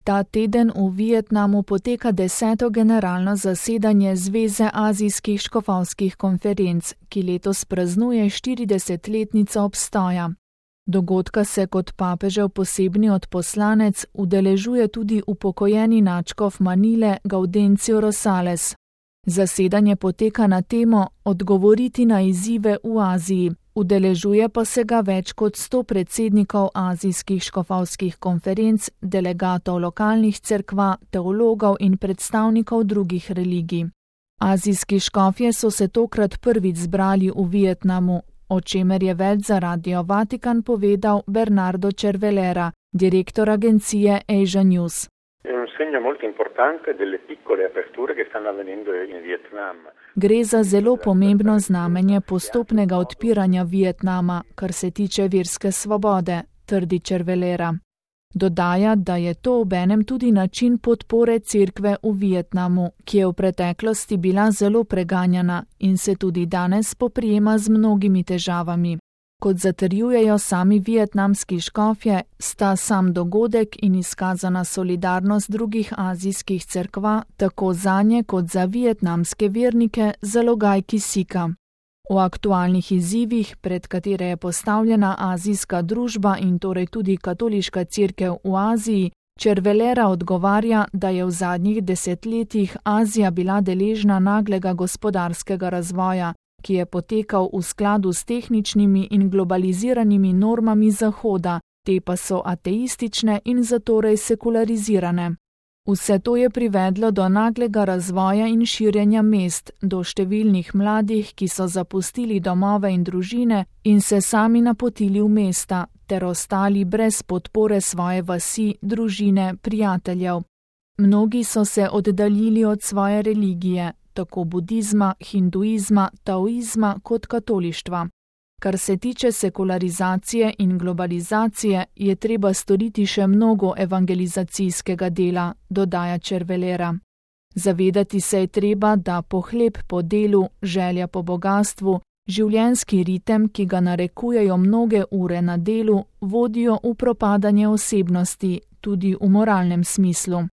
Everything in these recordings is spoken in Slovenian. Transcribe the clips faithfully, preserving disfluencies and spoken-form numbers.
Ta teden v Vietnamu poteka deseto generalno zasedanje Zveze azijskih škofovskih konferenc, ki letos praznuje štiridesetletnico obstoja. Dogodka se kot papežev posebni odposlanec udeležuje tudi upokojeni nadškof Manile Gaudencio Rosales. Zasedanje poteka na temo Odgovoriti na izzive v Aziji. Udeležuje pa se ga več kot sto predsednikov azijskih škofovskih konferenc, delegatov lokalnih cerkva, teologov in predstavnikov drugih religij. Azijski škofje so se tokrat prvič zbrali v Vietnamu, o čemer je več za Radio Vatikan povedal Bernardo Cervelera, direktor agencije Asia News. Gre za zelo pomembno znamenje postopnega odpiranja Vietnama, kar se tiče verske svobode, trdi Cervelera. Dodaja, da je to obenem tudi način podpore cerkve v Vietnamu, ki je v preteklosti bila zelo preganjana in se tudi danes spoprijema z mnogimi težavami. Kot zatrjujejo sami vietnamski škofje, sta sam dogodek in izkazana solidarnost drugih azijskih cerkva, tako zanje kot za vietnamske vernike, zalogaj kisika. O aktualnih izzivih, pred katere je postavljena azijska družba in torej tudi katoliška cerkev v Aziji, Cervelera odgovarja, da je v zadnjih desetletjih Azija bila deležna naglega gospodarskega razvoja, ki je potekal v skladu s tehničnimi in globaliziranimi normami Zahoda, te pa so ateistične in zatorej sekularizirane. Vse to je privedlo do naglega razvoja in širjenja mest, do številnih mladih, ki so zapustili domove in družine in se sami napotili v mesta, ter ostali brez podpore svoje vasi, družine, prijateljev. Mnogi so se oddaljili od svoje religije, tako budizma, hinduizma, taoizma kot katolištva. Kar se tiče sekularizacije in globalizacije, je treba storiti še mnogo evangelizacijskega dela, dodaja Cervelera. Zavedati se je treba, da pohlep po delu, želja po bogastvu, življenjski ritem, ki ga narekujejo mnoge ure na delu, vodijo v propadanje osebnosti, tudi v moralnem smislu.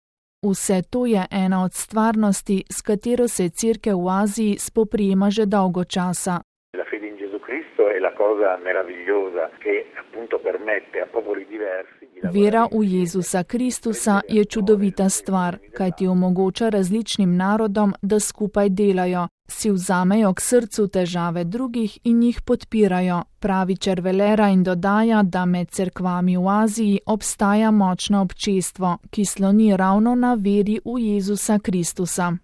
Vse to je ena od stvarnosti, s katero se cerkev v Aziji spoprijema že dolgo časa. Vera v Jezusa Kristusa je čudovita stvar, kajti omogoča različnim narodom, da skupaj delajo, si vzamejo k srcu težave drugih in jih podpirajo, pravi Cervelera in dodaja, da med cerkvami v Aziji obstaja močno občestvo, ki sloni ravno na veri v Jezusa Kristusa.